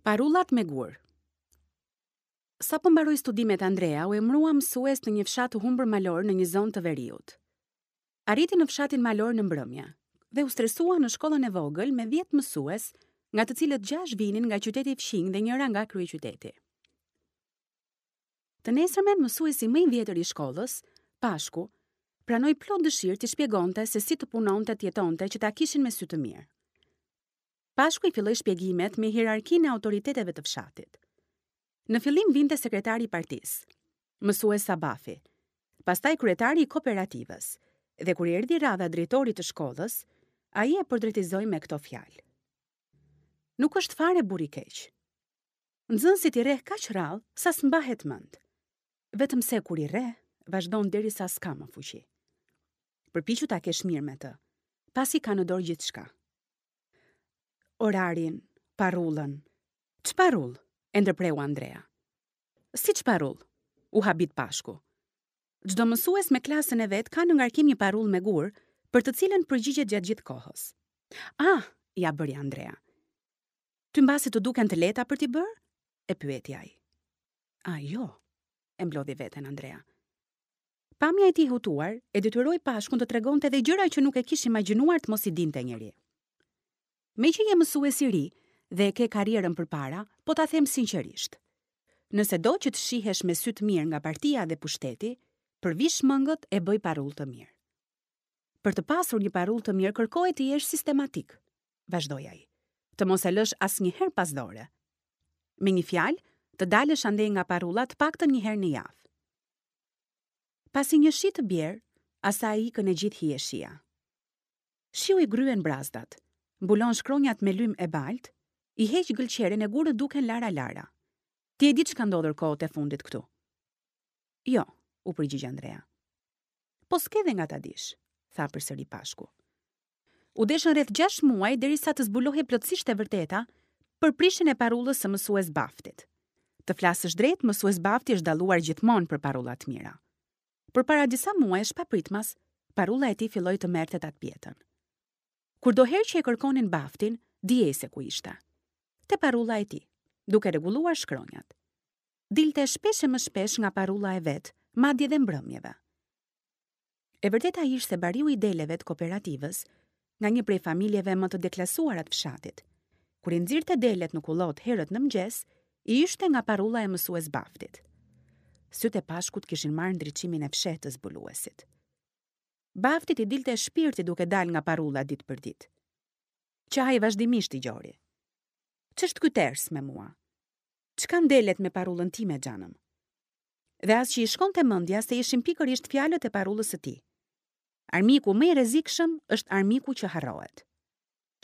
Parullat me gurë. Sapo mbaroi studimet Andrea u emërua mësues në një fshat të humbur malor në një zonë të veriut. Arriti në fshatin malor në mbrëmje dhe u stresua në shkollën e vogël me 10 mësues, nga të cilët 6 vinin nga qyteti fqinj dhe njëra nga kryeqyteti. Të nesërmen mësuesi më i vjetër i shkollës, Pashku, pranoi plot dëshirë t'i shpjegonte se si të punonte të jetonte që ta kishin me sy të mirë. Pashku i filloi shpjegimet me hierarkinë e autoriteteve të fshatit. Në fillim vinte sekretari i partisë, mësues Sabafi, pastaj kryetari i kooperativës, dhe kur i erdhi radha drejtorit të shkollës, ai e portretizoi me këto fjalë. Nuk është fare burrë i keq. Nxënësit i rreh kaq rrallë sa s'mbahet mend. Vetëm se kur i rreh, vazhdon derisa s'ka më fuqi. Përpiqu ta kesh mirë me të, pasi ka në dorë gjithçka. Orarin, parullën. Ç'parullë? e ndërpreu Andrea. Si ç'parullë? U habit Pashku. Çdo mësues me klasën e vet ka në ngarkim një parullë me gurë, për të cilën përgjigjet gjatë gjithë kohës. Ah, ia bëri Andrea. Ty mbase të duken të lehta për t'i bërë? e pyeti ai. A, jo, e mblodhi veten Andrea. Pamja e tij e hutuar e detyroi Pashkun të tregonte edhe gjëra që nuk e kish imagjinuar të mos i dinte njeri. Meqë je mësues i ri dhe e ke karrierën përpara, po ta them sinqerisht. Nëse do që të shihesh me sy të mirë nga partia dhe pushteti, përvish mëngët e bëj parullë të mirë. Për të pasur një parullë të mirë kërkohet të jesh sistematik, vazhdoi ai. Të mos e lësh asnjëherë pas dore. Me një fjalë, të dalësh andej nga parulla të paktën një herë në javë. Pasi një shi të bjerë, asaj i ikën e gjithë hijeshia. Shiu i gryen brazdat, mbulon shkronjat me lym e baltë, i heq gëlqeren e gurët duken lara-lara. Ti e di ç'ka ndodhur kohët e fundit këtu. Jo, u përgjigj Andrea. Po s'ke dhe nga ta dish, tha përsëri Pashku. U deshën rreth 6 muaj derisa të zbulohej plotësisht e vërteta për prishjen e parullës së mësues Baftit. Të flasësh drejt, mësues Bafti është dalluar gjithmonë për parulla të mira. Por para disa muajsh papritmas, parulla e tij filloi të merrte tatëpjetën. Kurdoherë që e kërkonin Baftin, dihej se ku ishte. Te parulla e tij, duke rregulluar shkronjat. Dilte shpesh e më shpesh nga parulla e vet, madje dhe mbrëmjeve. E vërteta ishte se bariu i deleve të kooperativës, nga një prej familjeve më të deklasuara të fshatit, kur i nxirrte delet në kullotë herët në mëngjes, i yshte nga parulla e mësues Baftit. Sytë e Pashkut kishin marrë ndriçimin e fshehtë të zbuluesit. Baftit i dilte shpirti duke dalë nga parulla ditë për ditë. Qahej vazhdimisht i gjori. Ç'është ky ters me mua? Ç'kanë delet me parullën time, xhanëm? Dhe as që i shkonte mendja se ishin pikërisht fjalët e parullës së tij. Armiku më i rrezikshëm është armiku që harrohet,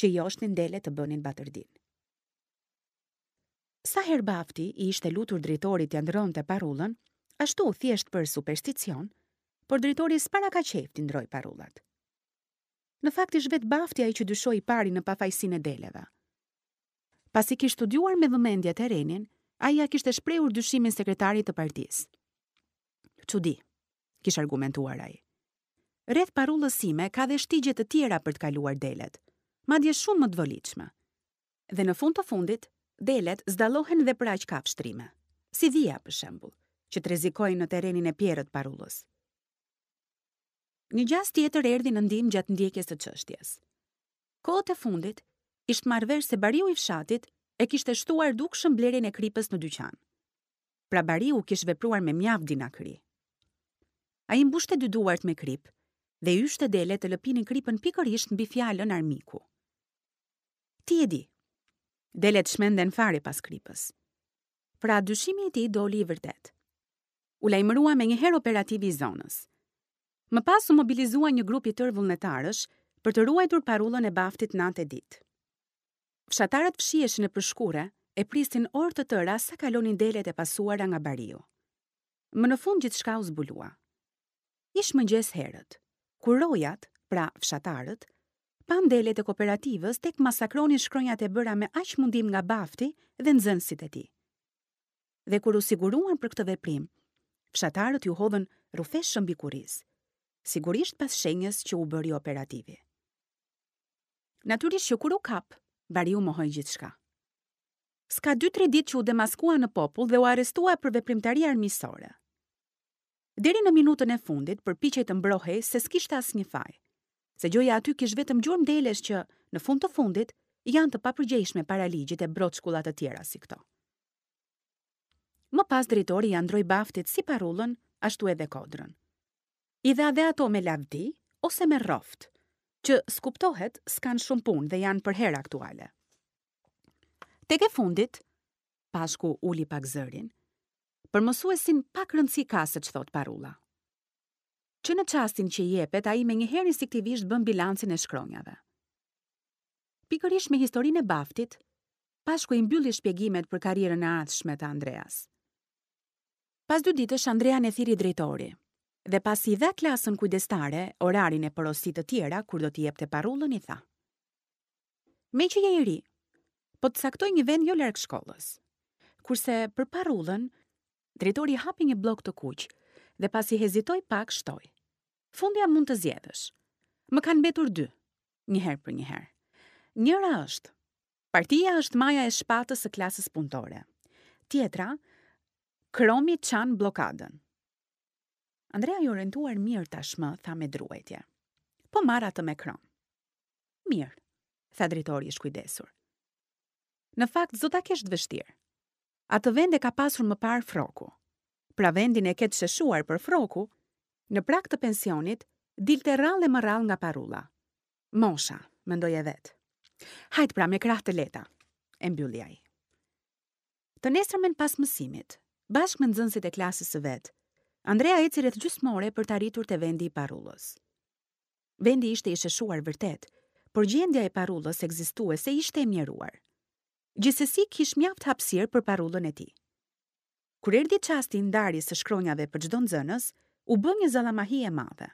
që i joshnin delet të bënin batërdinë. Sa herë Bafti i ishte lutur drejtorit t'ia ndërronte parullën, ashtu thjesht për supersticion, por drejtori s'para ka qejf t'i ndërrojë parullat. Në fakt ish vetë Bafti ai që dyshoi i pari në pafajësinë e deleve. Pasi kish studiuar me vëmendje terrenin, ai ia kishte shprehur dyshimin sekretarit të partisë. Çudi, kish argumentuar ai. Rreth parullës sime ka dhe shtigje të tjera për të kaluar delet, madje shumë më të volitshme. Dhe në fund të fundit, delet s'dallohen dhe për aq kafshë trime, si dhia për shembull, që të rrezikojnë në terrenin e pjerrët të parullës. Një gjasë tjetër erdhi në ndihmë gjatë ndjekjes së çështjes. Kohët e fundit, ishte marrë vesh se bariu i fshatit e kishte shtuar dukshëm blerjen e kripës në dyqan. Pra bariu kish vepruar me mjaft dinakëri. Ai mbushte dy duart me kripë dhe i yshte delet të lëpinin kripën pikërisht mbi fjalën armiku. Ti e di. Delet çmenden fare pas kripës. Pra dyshimi i tij doli i vërtetë. U lajmërua menjëherë operativi i zonës. Më pas u mobilizua një grup i tërë vullnetarësh për të ruajtur parullën e Baftit natë e ditë. Fshatarët fshiheshin nëpër shkurre e prisnin orë të tëra sa kalonin delet e pasuara nga bariu. Më në fund gjithçka u zbulua. Ish mëngjes herët, kur rojat, pra fshatarët, panë delet e kooperativës tek masakronin shkronjat e bëra me aq mundim nga Bafti dhe nxënësit e tij. Dhe kur u siguruan për këtë veprim, fshatarët iu hodhën rrufeshëm mbi kurriz, sigurisht pas shenjës që u bëri operativi. Natyrisht që kur u kap, bariu mohoi gjithçka. S'ka 2-3 ditë që u demaskua në popull dhe u arrestua për veprimtari armiqësore. Deri në minutën e fundit përpiqej të mbrohej se s'kishte asnjë faj, se gjoja aty kish vetëm gjurmë delesh që, në fund të fundit, janë të papërgjegjshme para ligjit e broçkulla të tjera si këto. Më pas drejtori ia ndërroi Baftit si parullën, ashtu edhe kodrën. I dha dhe ato me lavdi ose me rroftë, që s'kuptohet s'kanë shumë punë dhe janë përherë aktuale. Tek e fundit, Pashku uli pak zërin, për mësuesin pak rëndësi ka se ç'thotë parulla. Që në çastin që i jepet, ai menjëherë instinktivisht bën bilancin e shkronjave. Pikërisht me historinë e Baftit, Pashku i mbylli shpjegimet për karrierën e ardhshme të Andreas. Pas dy ditësh Andrean e thirri drejtori dhe pasi i dha klasën kujdestare, orarin e porosi të tjera kur do t'i jepte parullën i tha. Meqë je i ri, po të caktoj një vend jo larg shkollës. Kurse për parullën, drejtori hapi një bllok të kuq dhe pasi hezitoi pak shtoi. Fundja mund të zgjedhësh. Më kanë mbetur dy, një herë për një herë. Njëra është, Partia është maja e shpatës së klasës punëtore. Tjetra, Kromi çan bllokadën. Andrea i orientuar mirë tashmë, tha me druajtje. Po marr atë me krom. Mirë, tha drejtori i shkujdesur. Në fakt, s'do ta kesh të vështirë. Atë vend e ka pasur më parë Frroku. Pra vendin e ke të sheshuar por Frroku, në prag të pensionit, dilte rrallë e më rrallë nga parulla. Mosha, mendoje vetë. Hajt pra me krahë të lehta, e mbylli ai. Të nesërmen pas mësimit, bashkë me nxënësit e klasës së vet, Andrea eci rreth gjysmë ore për të arritur te vendi i parullës. Vendi ishte i sheshuar vërtet, por gjendja e parullës ekzistuese ishte e mjeruar. Gjithsesi kish mjaft hapësirë për parullën e tij. Kur erdhi çasti i ndarjes së shkronjave për çdo nxënës, u bë një zallamahi e madhe.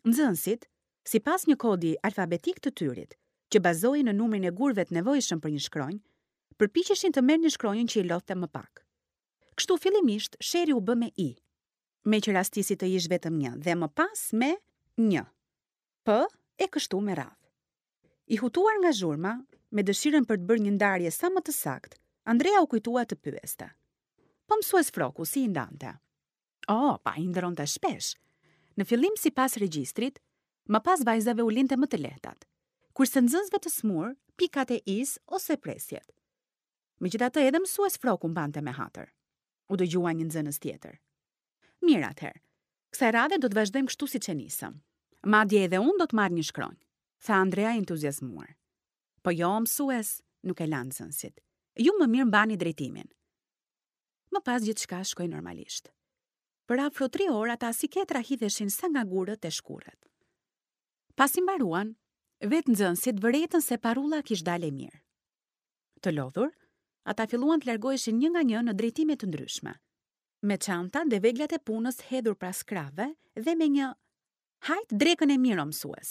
Nxënësit, sipas një kodi alfabetik të tyrit, që bazohej në numrin e gurëve të nevojshëm për një shkronjë, përpiqeshin të merrnin shkronjën që i lodhte më pak. Kështu fillimisht sherri u bë me i, meqë rastisi të ish vetëm një dhe më pas me nj, p e kështu me radhë. I hutuar nga zhurma, me dëshirën për të bërë një ndarje sa më të saktë, Andrea u kujtua të pyeste. Po mësues Frroku si i ndante? Oh, pa, i ndërronte shpesh. Në fillim sipas regjistrit, më pas vajzave u linte më të lehtat, kurse nxënësve të sëmurë, pikat e i-së ose presjet. Megjithatë edhe mësues Frroku mbante me hatër. U dëgjua një nxënës tjetër. Mirë atëherë. Kësaj radhe do të vazhdojmë kështu siç e nisëm. Madje edhe unë do të marr një shkronjë, tha Andrea i entuziazmuar. Po jo, mësues, nuk e lanë nxënësit. Ju më mirë mbani drejtimin. Më pas gjithçka shkoi normalisht. Për afro tri orë ata si ketra hidheshin sa nga gurët te shkurret. Pasi mbaruan, vetë nxënësit vërejtën se parulla kish dalë e mirë. Të lodhur, ata filluan të largoheshin një nga një në drejtime të ndryshme, me çantat dhe veglat e punës hedhur pas krahëve dhe me një Hajt drekën e mirë o mësues!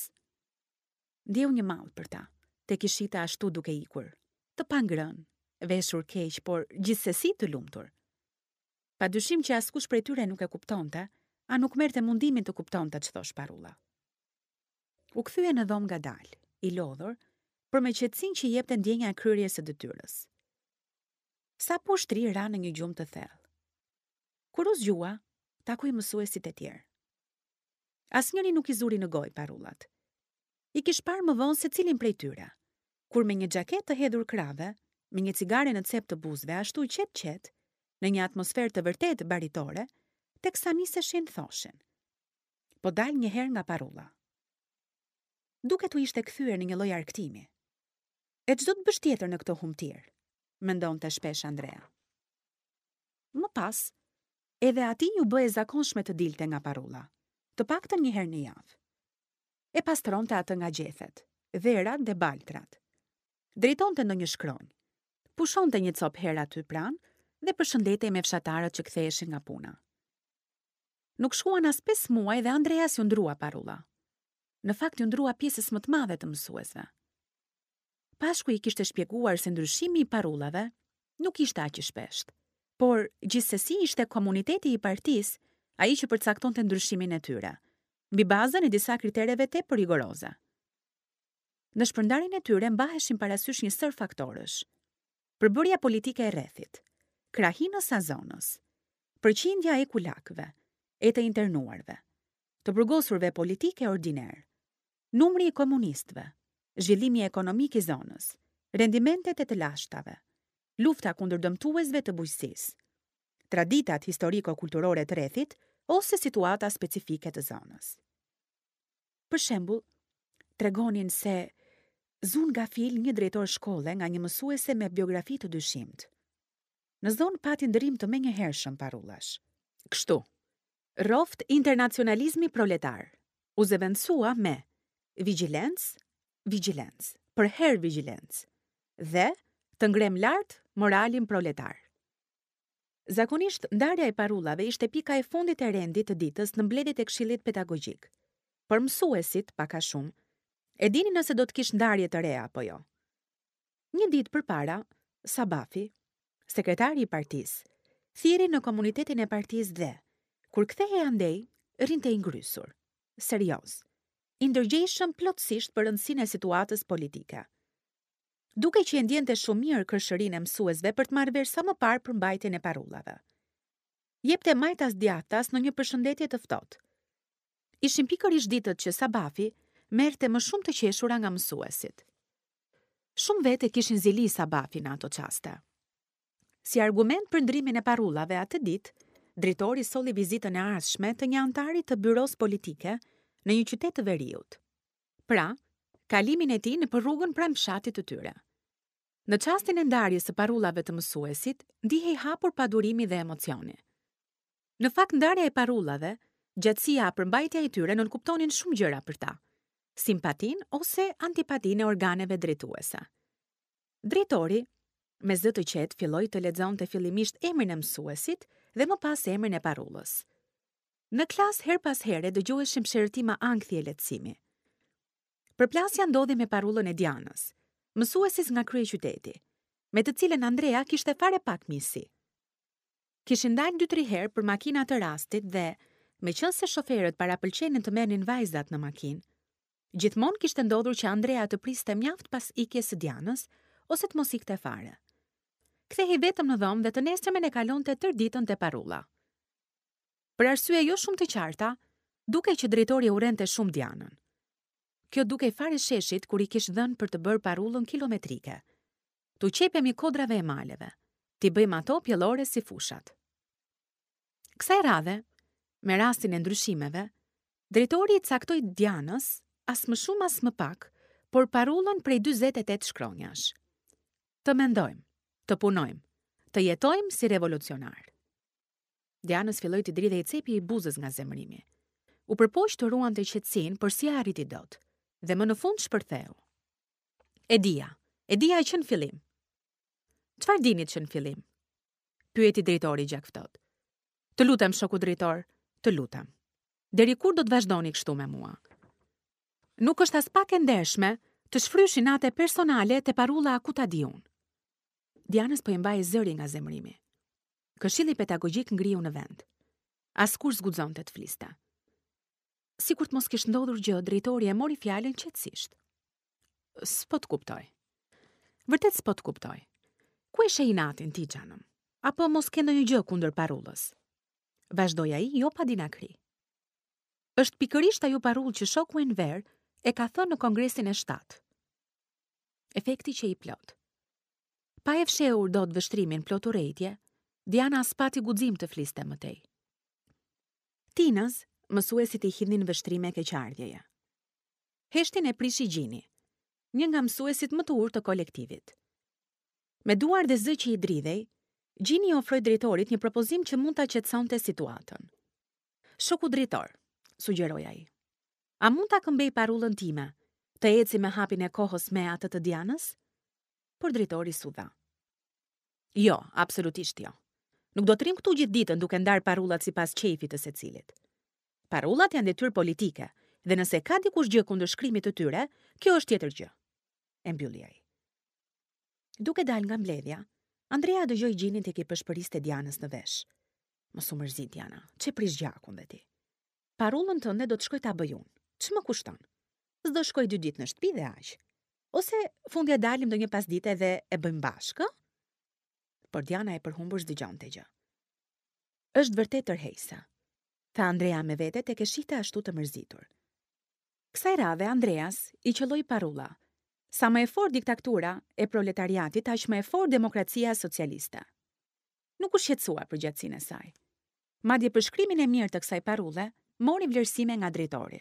Ndjeu një mall për ta, tek i shihte ashtu duke ikur, të pangrënë, veshur keq, por gjithsesi të lumtur. Pa dyshim që askush prej tyre nuk e kuptonte, a nuk merrte mundimin të kuptonte ç'thosh parulla. U kthye në dhomë ngadalë, i lodhur, por me qetësinë që i jepte ndjenja e kryerjes së detyrës. Sapo u shtri ra në një gjumë të thellë. Kur u zgjua, takoi mësuesit e tjerë. Asnjëri nuk i zuri në gojë parullat. I kish parë më vonë secilin prej tyre, kur me një xhaketë të hedhur krahëve, me një cigare në cep të buzëve, ashtu qetë-qetë, në një atmosferë të vërtetë baritore, teksa niseshin thoshin. Po dal një herë nga parulla. Duket u ishte kthyer në një lloj argëtimi. E ç'do të bësh tjetër në këtë humbëtirë, mendonte shpesh Andrea. Më pas, edhe atij iu bë e zakonshme të dilte nga parulla, të paktën një herë në javë. E pastronte atë nga gjethet, dherat dhe baltrat. Drejtonte ndonjë shkronjë. Pushonte një copë herë aty pranë dhe përshëndetej me fshatarët që ktheheshin nga puna. Nuk shkuan as pesë muaj dhe Andreas iu ndërrua parulla. Në fakt iu ndërrua pjesës më të madhe të mësuesve. Pashku i kishte shpjeguar se ndryshimi i parullave nuk ishte aq i shpeshtë, por gjithsesi ishte komuniteti i partisë ai që përcaktonte ndryshimin e tyre, mbi bazën e disa kritereve tepër rigoroze. Në shpërndarjen e tyre mbaheshin parasysh një sërë faktorësh. Përbërja politike e rrethit, krahinës a zonës, përqindja e kulakëve, e të internuarve, të burgosurve politikë e ordinerë, numri i komunistëve, zhvillimi ekonomik i zonës, rendimentet e të lashtave, lufta kundër dëmtuesve të bujqësisë, traditat historiko-kulturore të rrethit ose situata specifike të zonës. Për shembull, tregonin se zunë gafil një drejtor shkolle nga një mësuese me biografi të dyshimtë. Në zonë pati ndërrim të menjëhershëm parullash. Kështu, rroftë internacionalizmi proletar, u zëvendësua me vigjilencë, vigjilencë, përherë vigjilencë dhe të ngremë lart moralin proletar. Zakonisht, ndarja e parullave ishte pika e fundit e rendit të ditës në mbledhjet e Këshillit Pedagogjik. Por mësuesit, pak a shumë, e dinin nëse do të kish ndarje të reja apo jo. Një ditë përpara, Sabafi, sekretari i partisë, thirri në komunitetin e partisë dhe, kur kthehej andej, rrinte i ngrysur, serioz, i ndërgjegjshëm plotësisht për rëndësinë e situatës politike. Dukej që e ndjente shumë mirë kërshërinë e mësuesve për të marrë vesh sa më parë përmbajtjen e parullave. Jepte majtas djathtas në një përshëndetje të ftohtë. Ishin pikërisht ditët që Sabafi merrte më shumë të qeshura nga mësuesit. Shumë vetë e kishin zili Sabafin në ato çaste. Si argument për ndërrimin e parullave atë ditë, drejtori solli vizitën e ardhshme të një anëtari të byrosë politike në një qytet të veriut. Pra, kalimin e tij nëpër rrugën pranë fshatit të tyre. Në çastin e ndarjes së parullave të mësuesit, ndihej hapur padurimi dhe emocioni. Në fakt ndarja e parullave, gjatësia a përmbajtja e tyre nënkuptonin shumë gjëra për ta, simpatinë ose antipatinë e organeve drejtuese. Drejtori, me zë të qetë filloi të lexonte fillimisht emrin e mësuesit dhe më pas emrin e parullës. Në klasë herë pas here dëgjoheshin psherëtima ankthi e lehtësimi. Përplasja ndodhi me parullën e Dianës, mësueses nga kryeqyteti, me të cilën Andrea kishte fare pak miqësi. Kishin dalë dy-tri herë për makina të rastit dhe, meqenëse shoferët parapëlqenin të merrnin vajzat në makinë, gjithmonë kishte ndodhur që Andrea të priste mjaft pas ikjes së Dianës ose të mos ikte fare. Kthehej vetëm në dhomë dhe të nesërmen e kalonte tërë ditën te parulla. Për arsye jo shumë të qarta, dukej që drejtori e urrente shumë Dianën. Kjo dukej fare sheshit kur i kish dhënë për të bërë parullën kilometrike. T'u qepemi kodrave e maleve, t'i bëjmë ato pjellore si fushat. Kësaj radhe, me rastin e ndryshimeve, drejtori i caktoi Dianës, as më shumë as më pak, por parullën prej 48 shkronjash. Të mendojmë, të punojmë, të jetojmë si revolucionarë. Dianës filloi t'i dridhej cepi i buzës nga zemërimi. U përpoq të ruante qetësinë, por s'ia arriti dot. Dhe më në fund shpërtheu. E dija, e dija që në fillim. Çfarë dinit që në fillim? Pyeti drejtori gjakftohtë. Të lutem, shoku drejtor, të lutem. Deri kur do të vazhdoni kështu me mua? Nuk është aspak e ndershme të shfrysh inate personale te parulla a ku ta di unë. Dianës po i mbahej zëri nga zemërimi. Këshilli pedagogjik ngriu në vend. Askush s'guxonte të fliste. Sikur të mos kish ndodhur gjë, drejtori e mori fjalën qetësisht. S'po të kuptoj. Vërtet s'po të kuptoj. Ku e sheh inatin ti, xhanëm? Apo mos ke ndonjë gjë kundër parullës? Vazhdoi ai jo pa dinakëri. Është pikërisht ajo parullë që shoku Enver e ka thënë në kongresin e 7. Efekti qe i plotë. Pa e fshehur dot vështrimin plot urrejtje, Diana s'pati guxim të fliste më tej. Tinës, mësuesit i hidhnin vështrime keqardhjeje. Heshtjen e prishi Gjini, një nga mësuesit më të urtë të kolektivit. Me duar dhe zë që i dridhej, Gjini i ofroi drejtorit një propozim që mund ta qetësonte situatën. Shoku drejtor, sugjeroi ai. A mund ta këmbej parullën time, të eci me hapin e kohës me atë të Dianës? Por drejtori s'u dha. Jo, absolutisht jo. Nuk do të rrimë këtu gjithë ditën duke ndarë parullat sipas qejfit të secilit. Parullat janë detyrë politike dhe nëse ka dikush gjë kundër shkrimit të tyre, kjo është tjetër gjë. E mbylli ai. Duke dalë nga mbledhja, Andrea dëgjoi Gjinin tek i pëshpëriste Dianës në vesh. Mos u mërzit, Diana, ç'e prish gjakun dhe ti. Parullën tënde do të shkoj ta bëj unë. Ç'më kushton? S'do shkoj dy ditë në shtëpi dhe aq. Ose fundja dalim ndonjë pasdite dhe e bëjmë bashkë, ë? Por Diana e përhumbur s'dëgjonte gjë. Është vërtet tërheqëse, tha Andrea me vete tek e shihte ashtu të mërzitur. Kësaj radhe Andreas i qëlloi parulla, Sa më e fortë diktatura e proletariatit, aq më e fortë demokracia socialiste. Nuk u shqetësua për gjatësinë e saj. Madje për shkrimin e mirë të kësaj parulle, mori vlerësime nga drejtori.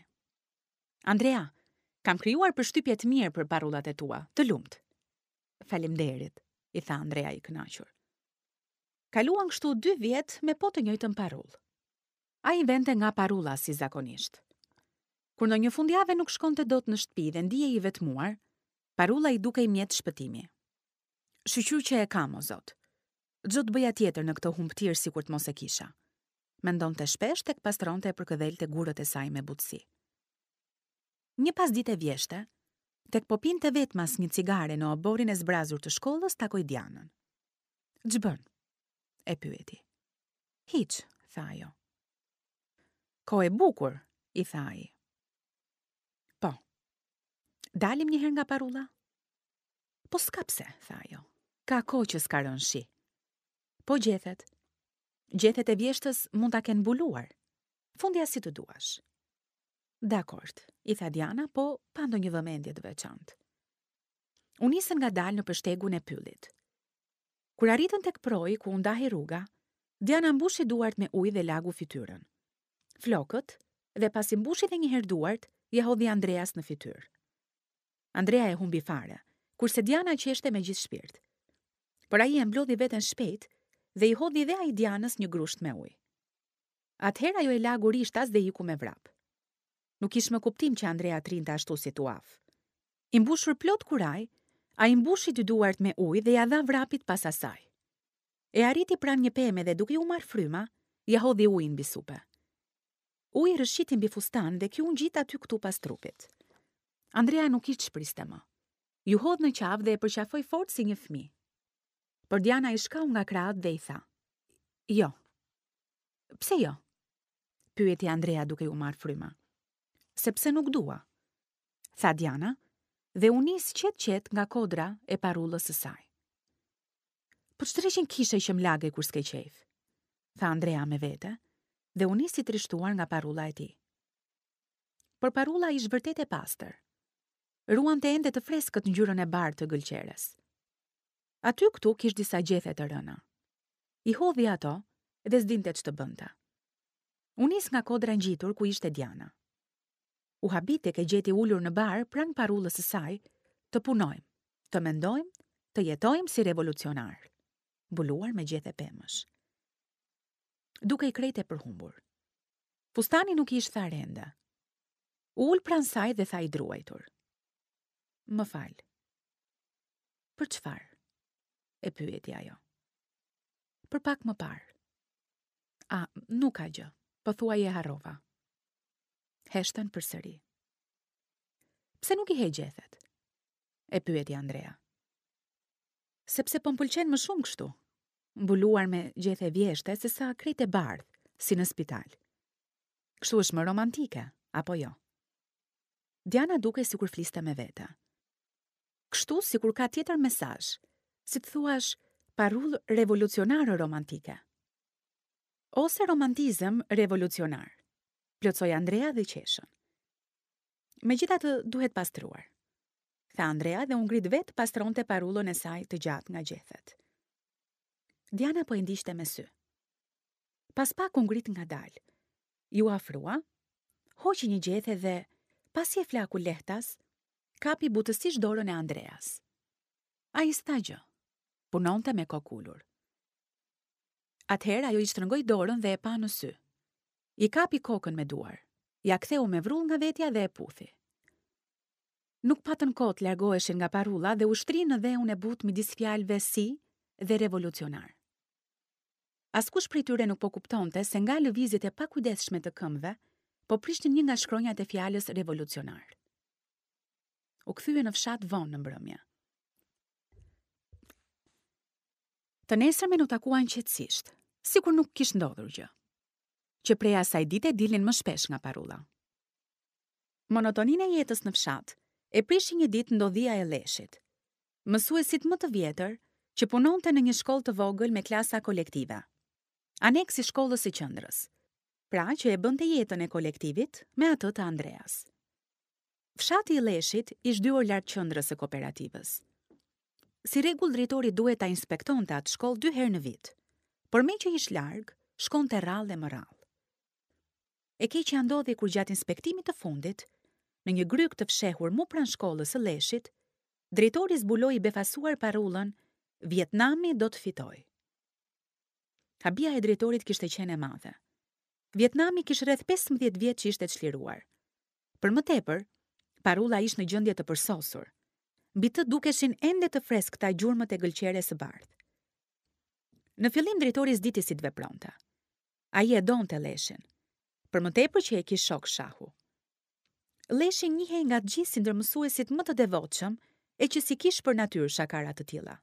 Andrea, kam krijuar përshtypje të mirë për parullat e tua, të lumtë. Faleminderit, i tha Andrea i kënaqur. Kaluan kështu dy vjet me po të njëjtën parullë. Ai vente nga parulla si zakonisht. Kur ndonjë fundjave nuk shkonte dot në shtëpi dhe ndihej i vetmuar, parulla i dukej mjet shpëtimi. Shyqyr që e kam, o Zot. Ç'do të bëja tjetër në këtë humbëtirë sikur të mos e kisha? Mendonte shpesh tek pastronte e përkëdhelte gurët e saj me butësi. Një pasdite vjeshte, tek po pinte vetmas një cigare në oborrin e zbrazur të shkollës, takoi Dianën. Ç'bën? E pyeti. Hiç, tha ajo. Kohë e bukur, i tha ai. Po. Dalim një herë nga parulla? Po s'ka pse, tha ajo. Ka kohë që s'ka rënë shi. Po gjethet. Gjethet e vjeshtës mund ta kenë mbuluar. Fundja si të duash. Dakord, i tha Diana, po pa ndonjë vëmendje të veçantë. U nisën ngadalë nëpër shtegun e pyllit. Kur arritën tek proi ku u ndahej rruga, Diana mbushi duart me ujë dhe lagu fytyrën. Flokët, dhe pasi mbushi dhe një herë duart, ia hodhi Andreas në fytyrë. Andrea e humbi fare, kurse Diana qeshte me gjithë shpirt. Por ai e mblodhi veten shpejt dhe i hodhi dhe ai Dianës një grusht me ujë. Atëherë ajo e lagu rishtas dhe iku me vrap. Nuk kish më kuptim që Andrea të rrinte ashtu si tuhaf. I mbushur plot kurajë, ai mbushi dy duart me ujë dhe ia dha vrapit pas asaj. E arriti pranë një peme dhe duke iu marrë fryma, ia hodhi ujin mbi supe. Uji rrëshqiti mbi fustan dhe ky u ngjit aty këtu pas trupit. Andrea nuk kish ç'priste më. Iu hodh në qafë dhe e përqafoi fort si një fëmijë. Por Diana i shkau nga krahët dhe i tha: "Jo." "Pse jo?" pyeti Andrea duke iu marrë fryma. "Sepse nuk dua." tha Diana dhe u nis qetë-qetë nga kodra e parullës së saj. Po ç'dreqin kishe që më lage kur s'ke qejf? tha Andrea me vete dhe u nis i trishtuar nga parulla e tij. Por parulla ish vërtet e pastër. Ruante ende të freskët ngjyrën e bardhë të gëlqeres. Aty këtu kish disa gjethe të rëna. I hodhi ato dhe s'dinte ç'të bënte. U nis nga kodra ngjitur ku ishte Diana. U habit tek e gjeti ulur në bar pranë parullës së saj, të punojmë, të mendojmë, të jetojmë si revolucionarë, mbuluar me gjethe pemësh. Dukej krejt e përhumbur. Fustani nuk i ish tharë ende. U ul pranë saj dhe tha i druajtur. Më fal. Për çfarë? E pyeti ajo. Për pak më parë. A, nuk ka gjë, pothuaj e harrova. Heshtën përsëri. Pse nuk i heq gjethet? E pyeti Andrea. Sepse po më pëlqen më shumë kështu, mbuluar me gjethe vjeshte sesa krejt e bardhë, si në spital. Kështu është më romantike, apo jo? Diana dukej sikur fliste me vete. Kështu sikur ka tjetër mesazh, si të thuash parullë revolucionare romantike. Ose romantizëm revolucionar, plotësoi Andrea dhe qeshën. Megjithatë duhet pastruar, tha Andrea dhe u ngrit vetë të pastronte parullën e saj të gjatë nga gjethet. Diana po e ndiqte me sy. Pas pak u ngrit ngadalë. Iu afrua, hoqi një gjethe dhe, pasi e flaku lehtas, kapi butësisht dorën e Andreas. Ai s'tha gjë. Punonte me kokë ulur. Atëherë ajo i shtrëngoi dorën dhe e pa në sy. I kapi kokën me duar, ia ktheu me vrull nga vetja dhe e puthi. Nuk patën kohë të largoheshin nga parulla dhe u shtrinë në dheun e butë midis fjalëve si dhe revolucionar. Askush prej tyre nuk po kuptonte se nga lëvizjet e pakujdesshme të këmbëve po prishnin një nga shkronjat e fjalës revolucionar. U kthyen në fshat vonë në mbrëmje. Të nesërmen u takuan qetësisht, sikur nuk kish ndodhur gjë. Që prej asaj dite dilnin më shpesh nga parulla. Monotoninë e jetës në fshat e prishi një ditë ndodhia e Lleshit. Mësuesit më të vjetër që punonte në një shkollë të vogël me klasa kolektive, aneks i shkollës së qendrës, pra që e bënte jetën e kolektivit me atë të Andreas. Fshati i Lleshit ish dy orë larg qendrës së kooperativës. Si rregull drejtori duhet ta inspektonte atë shkollë dy herë në vit, por meqë ish larg, shkonte rrallë e më rrallë. E keqja ndodhi kur gjatë inspektimit të fundit, në një grykë të fshehur mu pranë shkollës së Lleshit, drejtori zbuloi i befasuar parullën Vietnami do të fitojë. Habia e drejtorit kishte qenë e madhe. Vietnami kish rreth 15 vjet që ishte çliruar. Për më tepër, parulla ish në gjendje të përsosur. Mbi të dukeshin ende të freskëta gjurmët e gëlqeres së bardhë. Në fillim drejtori s'diti si të vepronte. Ai e donte Lleshin. Për më tepër që e kish shok shahu. Lleshi njihej nga të gjithë si ndër mësuesit më të devotshëm e që s'i kish për natyrë shakara të tilla.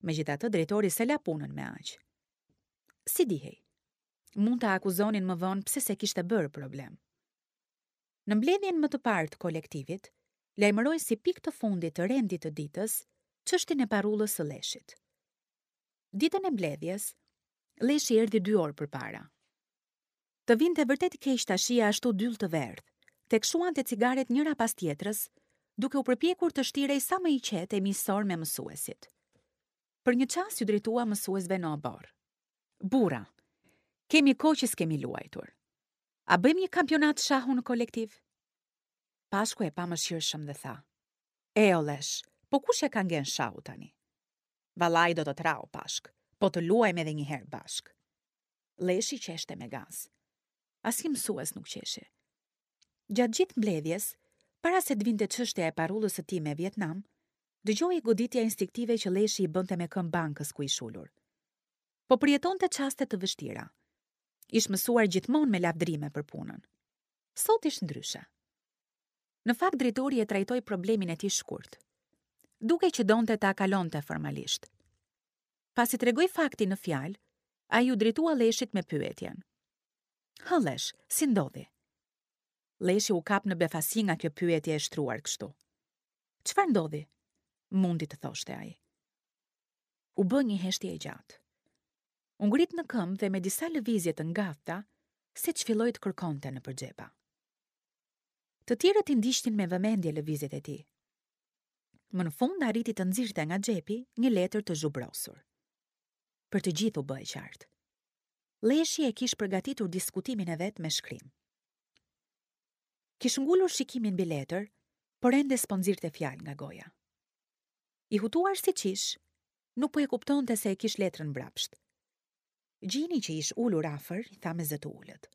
Megjithatë drejtori s'e la punën me aq. Si dihej? Mund ta akuzonin më vonë pse s'e kishte bërë problem. Në mbledhjen më të parë të kolektivit, lajmëroi si pikë të fundit të rendit të ditës çështjen e parullës së Lleshit. Ditën e mbledhjes, Lleshi erdhi dy orë përpara. Të vinte vërtet keq ta shihje ashtu dyll të verdhë, tek shuante cigaret njëra pas tjetrës, duke u përpjekur të shtirej sa më i qetë e miqësor me mësuesit. Për një çast iu drejtua mësuesve në oborr. Burra, kemi kohë që s'kemi luajtur. A bëjmë një kampionat shahu në kolektiv? Pashku e pa mëshirshëm dhe tha. E o Llesh, po kush ia ka ngenë shahut tani? Vallai do të të rrah o Pashk, po të luajmë edhe një herë bashkë. Lleshi qeshte me gaz. Asnjë mësues nuk qeshi. Gjatë gjithë mbledhjes, para se të vinte çështja e parullës së tij me Vietnam, dëgjohej goditja instinktive që Lleshi i bënte me këmbë bankës ku ish ulur. Po përjetonte çaste të vështira. Ish mësuar gjithmonë me lavdërime për punën. Sot ish ndryshe. Në fakt drejtori e trajtoi problemin e tij shkurt. Dukej që donte ta kalonte formalisht. Pasi tregoi faktin në fjalë, ai iu drejtua Lleshit me pyetjen. Hë Llesh, si ndodhi? Lleshi u kap në befasi nga kjo pyetje e shtruar kështu. Çfarë ndodhi? Mundi të thoshte ai. U bë një heshtje e gjatë. U ngrit në këmbë dhe me disa lëvizje të ngathta, seç filloi të kërkonte nëpër xhepa. Të tjerët i ndiqnin me vëmendje lëvizjet e tij. Më në fund arriti të nxirrte nga xhepi një letër të zhubrosur. Për të gjithë u bë e qartë. Lleshi e kish përgatitur diskutimin e vet me shkrim. Kish ngulur shikimin mbi letër, por ende s'po nxirrte fjalë nga goja. I hutuar siç ish, nuk po e kuptonte se e kish letrën mbrapsht. Gjini që ish ulur afër, i tha me zë të ulët.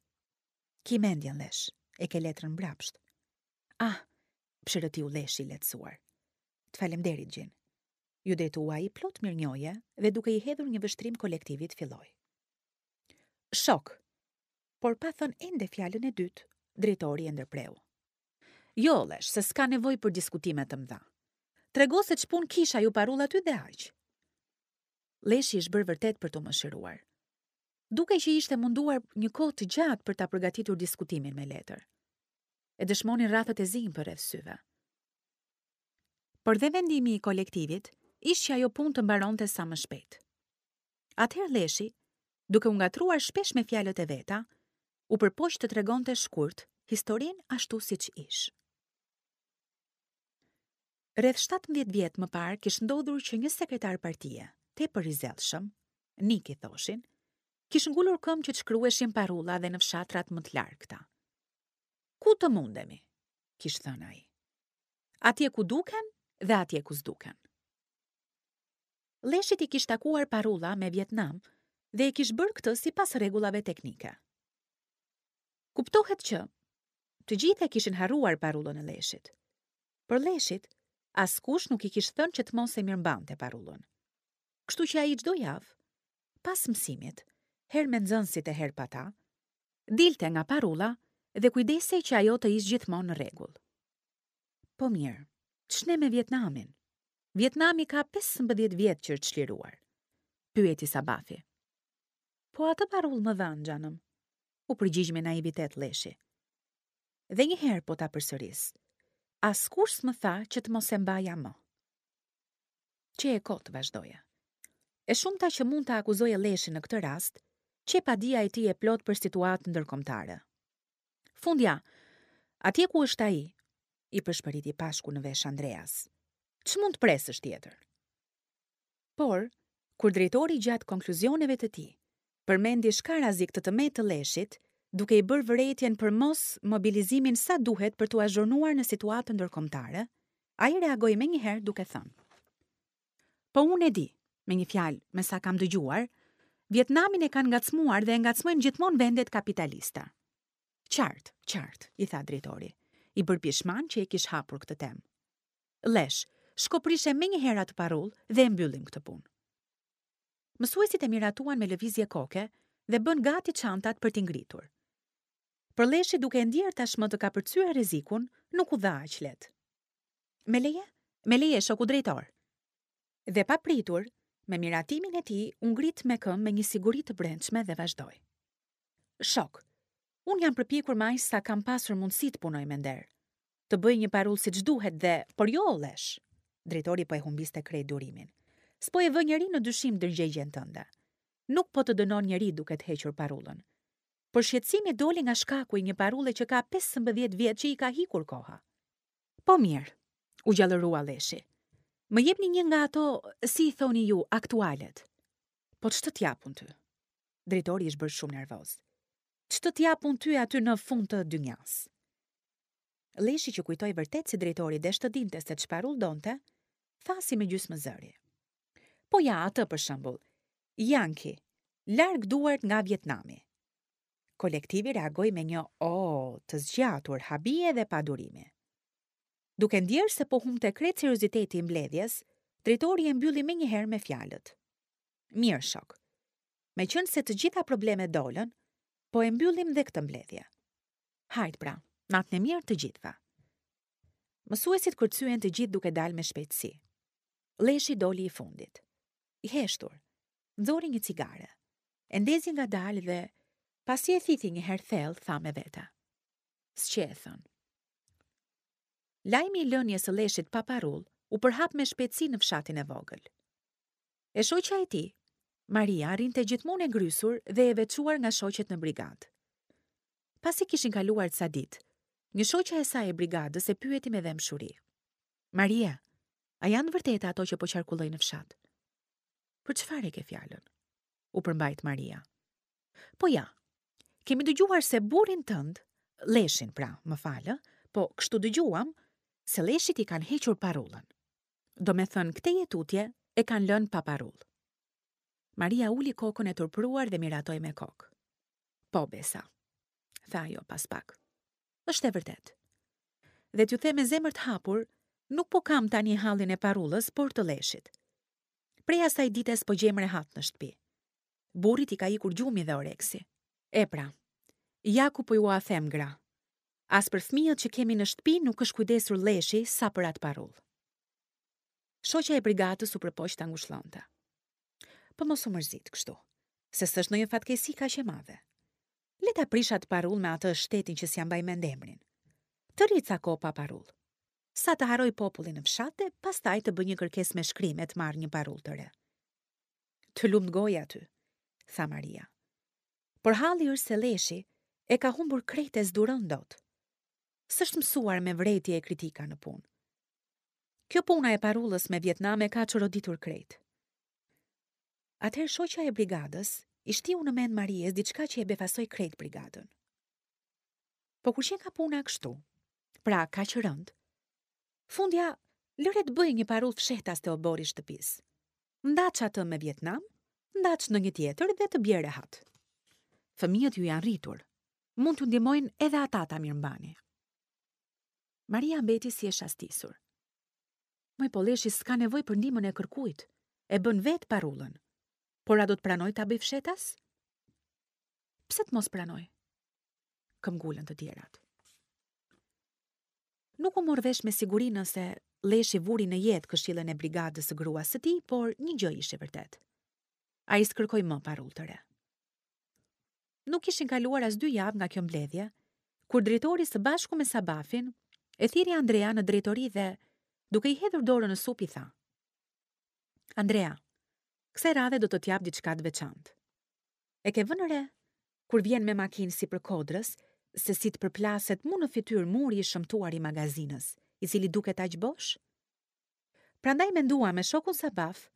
Ki mendjen, Llesh, e ke letrën mbrapsht. Ah, psherëtiu Lleshi i lehtësuar. Të falemnderit, Gjin. Iu drejtua ai plot mirënjohje dhe duke i hedhur një vështrim kolektivit filloi. Shokë, por pa thënë ende fjalën e dytë, drejtori e ndërpreu. Jo, Llesh, se s'ka nevojë për diskutime të mëdha. Trego se ç'punë kish ajo parullë aty dhe aq. Lleshi ish bërë vërtet për t'u mëshiruar. Dukej që ishte munduar një kohë të gjatë për ta përgatitur diskutimin me letër. E dëshmonin rrathët e zinj përreth syve. Por dhe vendimi i kolektivit ish që ajo punë të mbaronte sa më shpejt. Atëherë Lleshi, duke u ngatërruar shpesh me fjalët e veta, u përpoq të tregonte shkurt historinë ashtu siç ish. Rreth 17 vjet më parë kish ndodhur që një sekretar partie, tepër i zellshëm, Nik i thoshin, kish ngulur këmbë që të shkruheshin parulla dhe në fshatrat më të largëta. Ku të mundemi, kish thënë ai. Atje ku duken dhe atje ku s'duken. Lleshit i kish takuar parulla me Vietnam dhe e kish bërë këtë sipas rregullave teknike. Kuptohet që të gjithë e kishin harruar parullën e Lleshit. Por Lleshit, askush nuk i kish thënë që të mos e mirëmbante parullën. Kështu që ai çdo javë, pas mësimit, herë me nxënësit e herë pa ta, dilte nga parulla dhe kujdesej që ajo të ish gjithmonë në rregull. Po mirë, ç'ne me Vietnamin? Vietnami ka 15 vjet që është çliruar. Pyeti Sabafi. Po atë parullë më dhanë, xhanëm. U përgjigj me naivitet Lleshi. Dhe një herë po ta përsëris. Askush s'më tha që të mos e mbaja më. Qe e kotë, vazhdoje. E shumta që mund ta akuzoje Lleshin në këtë rast, qe padija e tij e plotë për situatën ndërkombëtare. Fundja, atje ku është ai, i pëshpëriti Pashku në vesh Andreas. Ç'mund të presësh tjetër? Por, kur drejtori gjatë konkluzioneve të tij, përmendi shkarazi këtë të metë të Lleshit, duke i bërë vërejtjen për mos mobilizimin sa duhet për t'u azhurnuar në situatën ndërkombëtare, ai reagoi menjëherë duke thënë. Po unë e di, me një fjalë, me sa kam dëgjuar, Vietnamin e kanë ngacmuar dhe e ngacmojnë gjithmonë vendet kapitaliste. Qartë, qartë, i tha drejtori, i bërë pishman që e kish hapur këtë temë. Llesh, shko prishe menjëherë atë parullë dhe e mbyllim këtë punë. Mësuesit e miratuan me lëvizje koke dhe bënë gati çantat për t'i ngritur. Por Lleshi duke e ndier tashmë të kapërcyer rrezikun, nuk u dha aq lehtë. Me leje? Me leje, shoku drejtor. Dhe papritur, me miratimin e tij, u ngrit me këmbë me një siguri të brendshme dhe vazhdoi. Shokë, unë jam përpjekur me aq sa kam pasur mundësi të punoj me nder. Të bëj një parullë siç duhet dhe, por jo o Llesh. Drejtori po e humbiste krejt durimin. S'po e vë njeri në dyshim ndërgjegjen tënde. Nuk po të dënon njeri duke të hequr parullën. Por shqetësimi doli nga shkaku i një parulle që ka 15 vjet që i ka ikur koha. Po mirë, u gjallërua Lleshi. Më jepni një nga ato, si i thoni ju, aktualet. Po ç'të t'jap unë ty? Drejtori ish bërë shumë nervoz. Ç'të t'jap unë ty aty në fund të dynjasë? Lleshi që kujtoi vërtet se drejtori desh të dinte se ç'parullë donte, tha si me gjysmë zëri. Po ja, atë për shembull. Janki, larg duart nga Vietnami. Kolektivi reagoi me një o të zgjatur habie dhe padurimi. Duke ndjerë se po humbte krejt serioziteti i mbledhjes, drejtori e mbylli menjëherë me fjalët. Mirë, shokë. Meqenëse të gjitha problemet dolën, po e mbyllim dhe këtë mbledhje. Hajt pra, natën e mirë të gjithëve. Mësuesit kërcyen të gjithë duke dalë me shpejtësi. Lleshi doli i fundit. I heshtur, nxori një cigare. E ndezi ngadalë dhe, pasi e thithi një herë thellë, tha me vete. S'qe e thënë. Lajmi i lënies së Lleshit pa parullë u përhap me shpejtësi në fshatin e vogël. E shoqja e tij, Maria, rrinte gjithmonë e ngrysur dhe e veçuar nga shoqet në brigadë. Pasi kishin kaluar ca ditë, një shoqe e saj e brigadës e pyeti me dhembshuri. Maria, a janë të vërteta ato që po qarkullojnë në fshat? Për çfarë e ke fjalën? U përmbajt Maria. Po ja, kemi dëgjuar se burrin tënd, Lleshin pra, më fal, po kështu dëgjuam, se Lleshit i kanë hequr parullën. Domethënë, këtej e tutje e kanë lënë pa parullë. Maria uli kokën e turpëruar dhe miratoi me kokë. Po, Besa, tha ajo pas pak. Është e vërtetë. Dhe t'ju them me zemër të hapur, nuk po kam tani hallin e parullës, por të Lleshit. Prej asaj dite s'po gjejmë rehat në shtëpi. Burrit i ka ikur gjumi dhe oreksi. E pra, ja ku po jua them gra. As për fëmijët që kemi në shtëpi nuk është kujdesur Lleshi sa për atë parullë. Shoqja e brigadës u përpoq ta ngushëllonte. Po mos u mërzit kështu, se s'është ndonjë fatkeqësi kaq e madhe. Le ta prishë atë parullë me atë shtetin që s'ia mbaj mend emrin. Të rrijë ca kohë pa parullë. Sa të harrojë populli në fshat e pastaj të bëjë një kërkesë me shkrim e të marrë një parullë të re. Të lumtë goja ty, tha Maria. Por halli është se Lleshi e ka humbur krejt e s'duron dot. S'është mësuar me vërejtje e kritika në punë. Kjo puna e parullës me Vietnam e ka çoroditur krejt. Atëherë shoqja e brigadës i shtiu në mend Maries diçka që e befasoi krejt brigadën. Po kur qenka puna kështu, pra kaq rëndë, fundja lëre të bëjë një parullë fshehtas te oborri i shtëpisë. Ndaç atë me Vietnam, ndaç ndonjë tjetër dhe të bjerë rehat. Fëmijët ju janë rritur. Mund t'ju ndihmojnë edhe ata ta mirëmbani. Maria mbeti si e shastisur. Moj po Lleshi s'ka nevojë për ndihmën e kërkujt. E bën vetë parullën. Por a do të pranojë ta bëjë fshehtas? Pse të mos pranojë? Këmbëngulën të tjerat. Nuk u mor vesh me siguri nëse Lleshi vuri në jetë këshillën e brigadës së gruas së tij, por një gjë ishte e vërtetë. Ai s'kërkoi më parullë të re. Nuk kishin kaluar as dy javë nga kjo mbledhje, kur drejtori së bashku me Sabafin e thirri Andrean në drejtori dhe, duke i hedhur dorën në sup i tha. Andrea, kësaj radhe do të të jap diçka të veçantë. E ke vënë re, kur vjen me makinë sipër kodrës, se si të përplaset mu në fytyrë muri i shëmtuar i magazinës, i cili duket aq bosh? Prandaj menduam me shokun Sabaf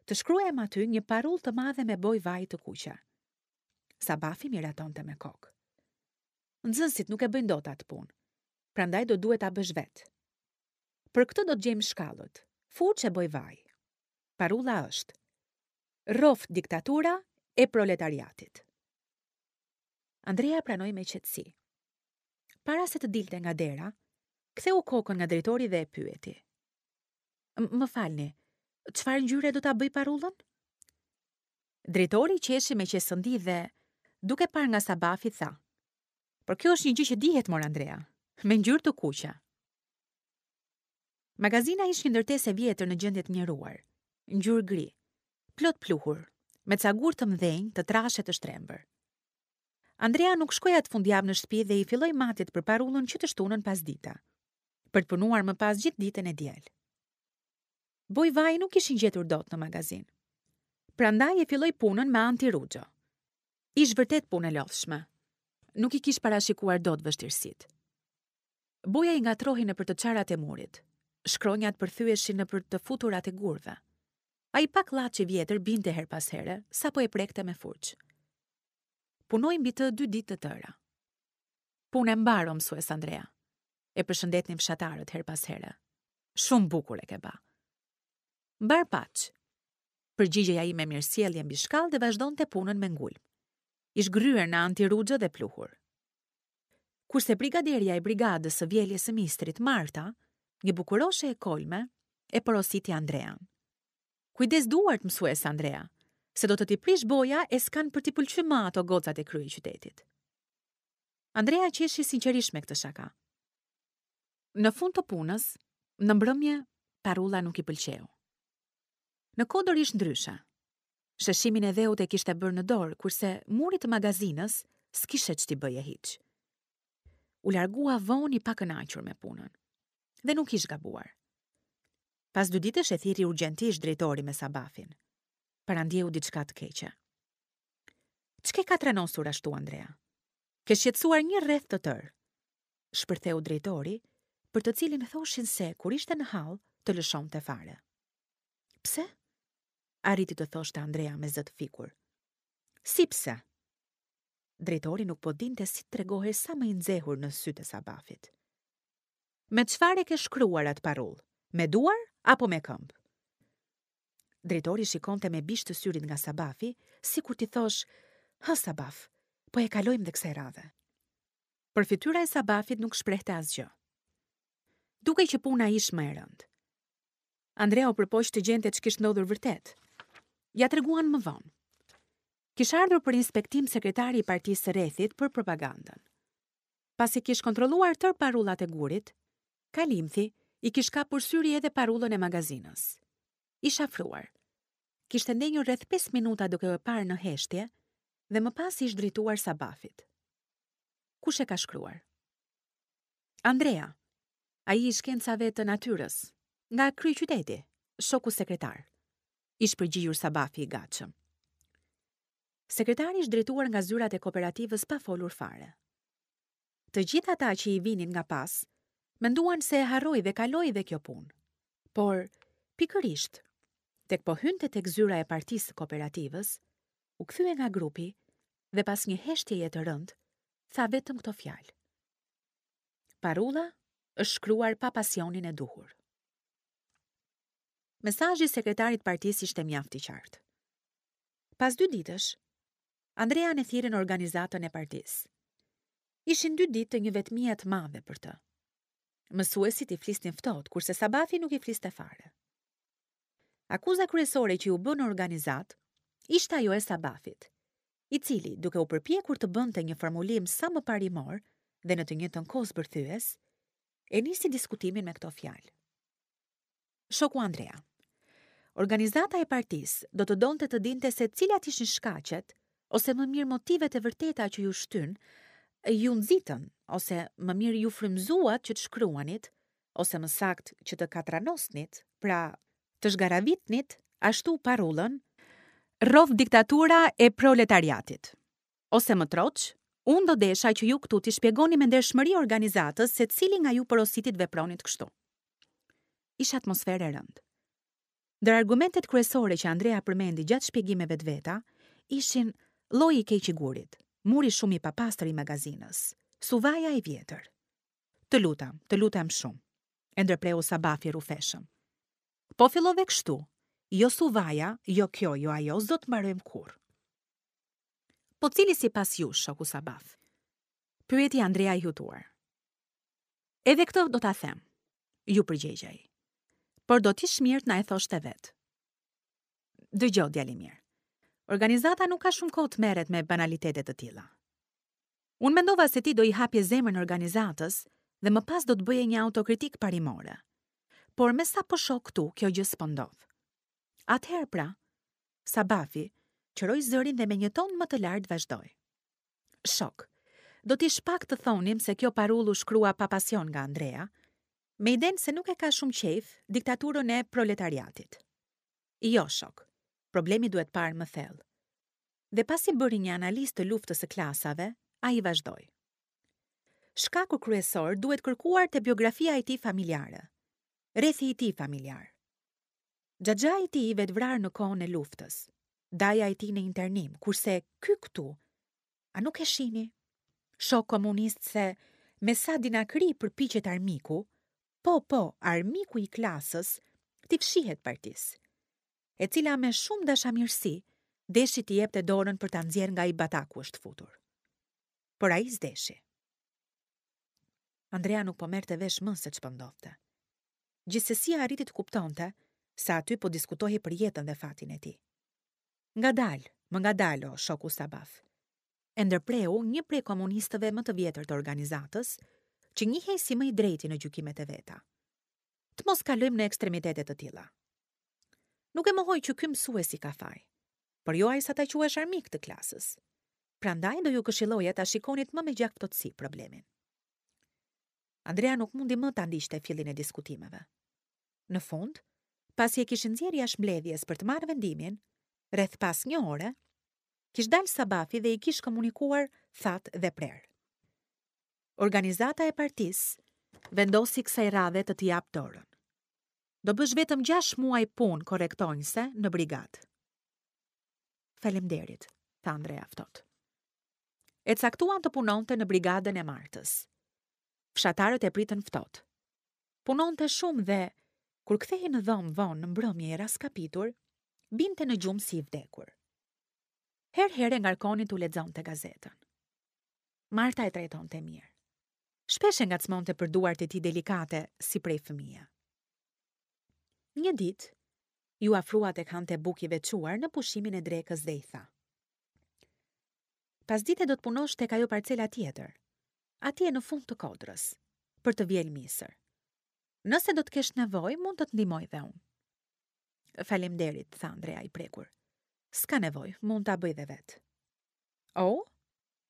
të shkruajmë aty një parullë të madhe me bojë vaji të kuqe. Sabafi miratonte me kokë. Nxënësit nuk e bëjnë dot atë punë, prandaj do duhet ta bësh vetë. Për këtë do të gjejmë shkallët, furçë e bojë vaji. Parulla është: Rroftë diktatura e proletariatit. Andrea pranoi me qetësi. Para se të dilte nga dera, ktheu kokën nga drejtori dhe e pyeti. Më falni, çfarë ngjyre do ta bëj parullën? Drejtori qeshi me qesëndi dhe, duke parë nga Sabafi, tha. Por kjo është një gjë që dihet, mor Andrea, me ngjyrë të kuqe. Magazina ish një ndërtesë e vjetër në gjendje të mjeruar, ngjyrë gri, plot pluhur, me ca gurë të mëdhenj, të trashë e të shtrembër. Andrea nuk shkoi atë fundjavë në shtëpi dhe i filloi matjet për parullën që të shtunën pasdite, për të punuar më pas gjithë ditën e diel. Bojë vaji nuk ishin gjetur dot në magazinë. Prandaj e filloi punën me antiruxho. Ish vërtet punë e lodhshme. Nuk i kish parashikuar dot vështirësitë. Boja i ngatërrohej nëpër të çarat e murit. Shkronjat përthyheshin nëpër të futurat e gurëve. Ai pak llaç i vjetër binte herë pas here, sapo e prekte me furçë. Punoi mbi të dy ditë të tëra. Punë e mbarë, o mësues Andrea. E përshëndetnin fshatarët herë pas here. Shumë bukur e ke ba. Mbarë paç. Përgjigjej ai me mirësjellje mbi shkallë dhe vazhdonte punën me ngulm. Ish gërryer në antiruxho dhe pluhur. Kurse brigaderja e brigadës së vjeljes së misrit, Marta, një bukuroshe e kolme, e porositi Andrean. Kujdes duart, mësues Andrea, se do të t'i prish boja e s'kanë për t'i pëlqy më ato gocat e kryeqytetit. Andrea qeshi sinqerisht me këtë shaka. Në fund të punës, në mbrëmje, parulla nuk i pëlqeu. Në kodër ish ndryshe. Sheshimin e dheut e kishte bërë në dorë, kurse murit të magazinës s'kishe ç't'i bëje hiç. U largua vonë i pakënaqur me punën. Dhe nuk ish gabuar. Pas dy ditësh e thirri urgjentisht drejtori me Sabafin. Parandjeu diçka të keqe. Ç'ke katranosur ashtu, Andrea? Ke shqetësuar një rreth të tërë. Shpërtheu drejtori, për të cilin thoshin se, kur ishte në hall, të lëshonte fare. Pse? Arriti të thoshte Andrea me zë të fikur. Si pse? Drejtori nuk po dinte si të tregohej sa më i nxehur në sytë e Sabafit. Me çfarë e ke shkruar atë parullë? Me duar apo me këmbë? Drejtori shikonte me bisht të syrit nga Sabafi, sikur t'i thosh, hë Sabaf, po e kalojmë dhe kësaj radhe. Por fytyra e Sabafit nuk shprehte asgjë. Dukej që puna ish më e rëndë. Andrea u përpoq të gjente ç'kish ndodhur vërtet. Ia treguan më vonë. Kish ardhur për inspektim sekretari i partisë së rrethit për propagandën. Pasi kish kontrolluar tërë parullat e gurit, kalimthi i kish kapur syri edhe parullën e magazinës. Ish afruar. Kishte ndenjur rreth 5 minuta duke e parë në heshtje dhe më pas ish drejtuar Sabafit. Kush e ka shkruar? Andrea, ai i shkencave të natyrës, nga kryeqyteti, shoku sekretar. Ish përgjigjur Sabafi i gatshëm. Sekretari ish drejtuar nga zyrat e kooperativës pa folur fare. Të gjithë ata që i vinin nga pas, menduan se e harroi dhe kaloi dhe kjo punë. Por, pikërisht, tek po hynte tek zyra e partisë së kooperativës, u kthye nga grupi dhe pas një heshtjeje të rëndë, tha vetëm këto fjalë. Parulla është shkruar pa pasionin e duhur. Mesazhi i sekretarit të partisë ishte mjaft i qartë. Pas dy ditësh, Andrean e thirrën në organizatën e partisë. Ishin dy ditë të një vetmie të madhe për të. Mësuesit i flisnin ftohtë, kurse Sabafi nuk i fliste fare. Akuza kryesore që iu bë në organizatë ishte ajo e Sabafit, i cili, duke u përpjekur të bënte një formulim sa më parimor dhe në të njëjtën kohë zbërthyes, e nisi diskutimin me këto fjalë. Shoku Andrea. Organizata e partisë do të donte të dinte se cilat ishin shkaqet ose më mirë motivet e vërteta që ju shtynë, ju nxitën ose më mirë ju frymëzuat që të shkruanit ose më saktë që të katranosnit, pra të zhgaravitnit ashtu parullën, Rroftë diktatura e proletariatit. Ose më troç, unë do desha që ju këtu t'i shpjegoni me ndershmëri organizatës se cili nga ju porositi të vepronit kështu. Ish atmosferë e rëndë. Ndër argumentet kryesore që Andrea përmendi gjatë shpjegimeve të veta, ishin lloji i keq i gurit, muri shumë i papastër i magazinës, suvaja e vjetër. Të lutem, të lutem shumë, e ndërpreu Sabafi rrufeshëm. Po fillove kështu, jo suvaja, jo kjo, jo ajo, s'do të mbarojmë kurrë. Po cili sipas jush, shoku Sabaf? Pyeti Andrea i hutuar. Edhe këtë do ta them, iu përgjegj ai. Por do t'ish mirë të na e thoshte vetë. Dëgjo, djalë i mirë. Organizata nuk ka shumë kohë të merret me banalitete të tilla. Unë mendova se ti do i hapje zemrën organizatës dhe më pas do të bëje një autokritikë parimore. Por me sa po shoh këtu, kjo gjë s'po ndodh. Atëherë pra, Sabafi qëroi zërin dhe me një ton më të lartë vazhdoi. Shokë, do t'ish pak të thonim se kjo parullë u shkrua pa pasion nga Andrea, me idenë se nuk e ka shumë qejf diktaturën e proletariatit. Jo, shokë, problemi duhet parë më thellë. Dhe pasi bëri një analizë të luftës së klasave, ai vazhdoi. Shkaku kryesor duhet kërkuar te biografia e tij familjare, rrethi i tij familjar. Xhaxhai i tij i vetëvrarë në kohën e luftës, daja e tij në internim, kurse ky këtu, a nuk e shihni? Shokë komunistë se me sa dinakëri përpiqet armiku, po, po, armiku i klasës, t'i fshihet partisë, e cila me shumë dashamirësi deshi t'i jepte dorën për ta nxjerrë nga ai batak ku është futur. Por ai s'deshi. Andrea nuk po merrte vesh më se ç'po ndodhte. Gjithsesi arriti të kuptonte se aty po diskutohej për jetën dhe fatin e tij. Ngadalë, më ngadalë o shoku Sabaf. E ndërpreu një prej komunistëve më të vjetër të organizatës, që njihej si më i drejti në gjykimet e veta. Të mos kalojmë në ekstremitete të tilla. Nuk e mohoj që ky mësuesi ka faj, por jo aq sa ta quash armik të klasës. Prandaj do ju këshilloja ta shikonit më me gjakftohtësi problemin. Andrea nuk mundi më ta ndiqte fillin e diskutimeve. Në fund, pasi e kishin nxjerrë jashtë mbledhjes për të marrë vendimin, rreth pas një ore, kish dalë Sabafi dhe i kish komunikuar thatë dhe prerë. Organizata e partisë vendosi kësaj radhe të të japë dorën. Do bësh vetëm 6 muaj punë korrektonjëse në brigadë. Faleminderit, tha Andrea ftohtë. E caktuan të punonte në brigadën e Martës. Fshatarët e pritën ftohtë. Punonte shumë dhe, kur kthehej në dhomë vonë në mbrëmje i rraskapitur, binte në gjumë si i vdekur. Herë-herë e ngarkonin t'u lexonte gazetën. Marta e trajtonte mirë. Shpesh e ngacmonte për duart e tij delikate si prej fëmije. Një ditë, iu afrua tek hante bukë i veçuar në pushimin e drekës dhe i tha. Pasdite do të punosh tek ajo parcela tjetër, atje në fund të kodrës, për të vjelë misër. Nëse do të kesh nevojë, mund të të ndihmoj dhe unë. Faleminderit, tha Andrea i prekur. S'ka nevojë, mund ta bëj dhe vetë. Oh,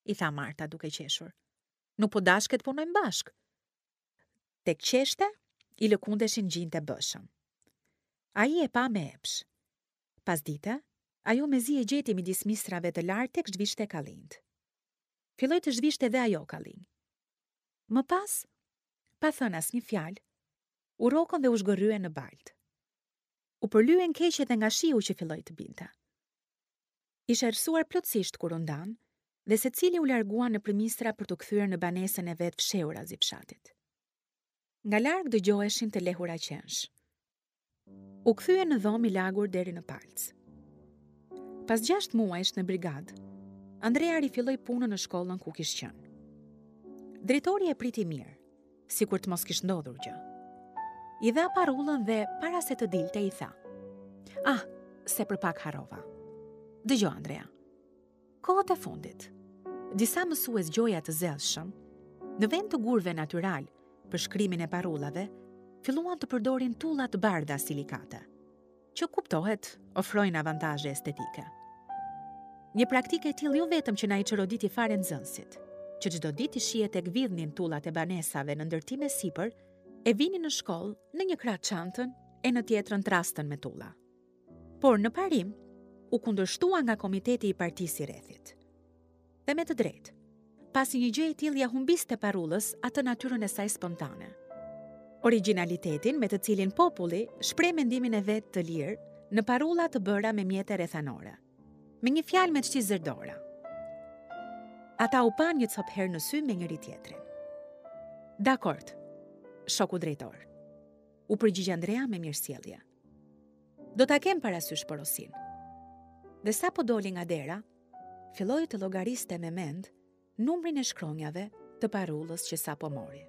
i tha Marta duke qeshur. Nuk po dashke të punojmë bashkë. Tek qeshte, i lëkundeshin gjinjtë e bëshëm. Ai e pa me epsh. Pasdite, ajo mezi e gjeti midis misrave të larë tek zhvishte kallinjtë. Filloi të zhvishte dhe ajo kallinj. Më pas, pa thënë asnjë fjalë, u rrokën dhe u zhgërryen në baltë. U përlyen keq edhe nga shiu që filloi të binte. Ish errësuar plotësisht kur u ndanë dhe secili u largua nëpër misra për t'u kthyer në banesën e vet fshehurazi fshatit. Nga larg dëgjoheshin të lehura qensh. U kthye në dhomë i lagur deri në palcë. Pas 6 muajsh në brigadë, Andrea rifilloi punën në shkollën ku kish qenë. Drejtori e priti mirë, sikur të mos kish ndodhur gjë. I dha parullën dhe para se të dilte i tha: "Ah, se për pak harrova. Dëgjo Andrea. Kohët e fundit, disa mësues gjoja të zellshëm, në vend të gurëve natyralë për shkrimin e parullave, filluan të përdorin tulla të bardha silikate, që kuptohet ofrojnë avantazhe estetike. Një praktikë e tillë jo vetëm që na i çoroditi fare nxënësit, që çdo ditë i shihje tek vidhnin tullat e banesave në ndërtim e sipër, e vinin në shkollë në një krah çantën e në tjetrën trastën me tulla. Por në parim, u kundërshtua nga komiteti i partisë i rrethit. Dhe me të drejtë, pasi një gjë e tillë ia humbiste parullës atë natyrën e saj spontane. Origjinalitetin me të cilin populli shpreh mendimin e vet të lirë në parulla të bëra me mjete rrethanore. Me një fjalë me ç't'i zërë dora. Ata u panë një copë herë në sy me njëri-tjetrin. Dakord, shoku drejtor. U përgjigj Andrea me mirësjellje. Do ta kem parasysh porosinë. Dhe sapo doli nga dera, filloi të llogariste me mend numrin e shkronjave të parullës që sapo mori.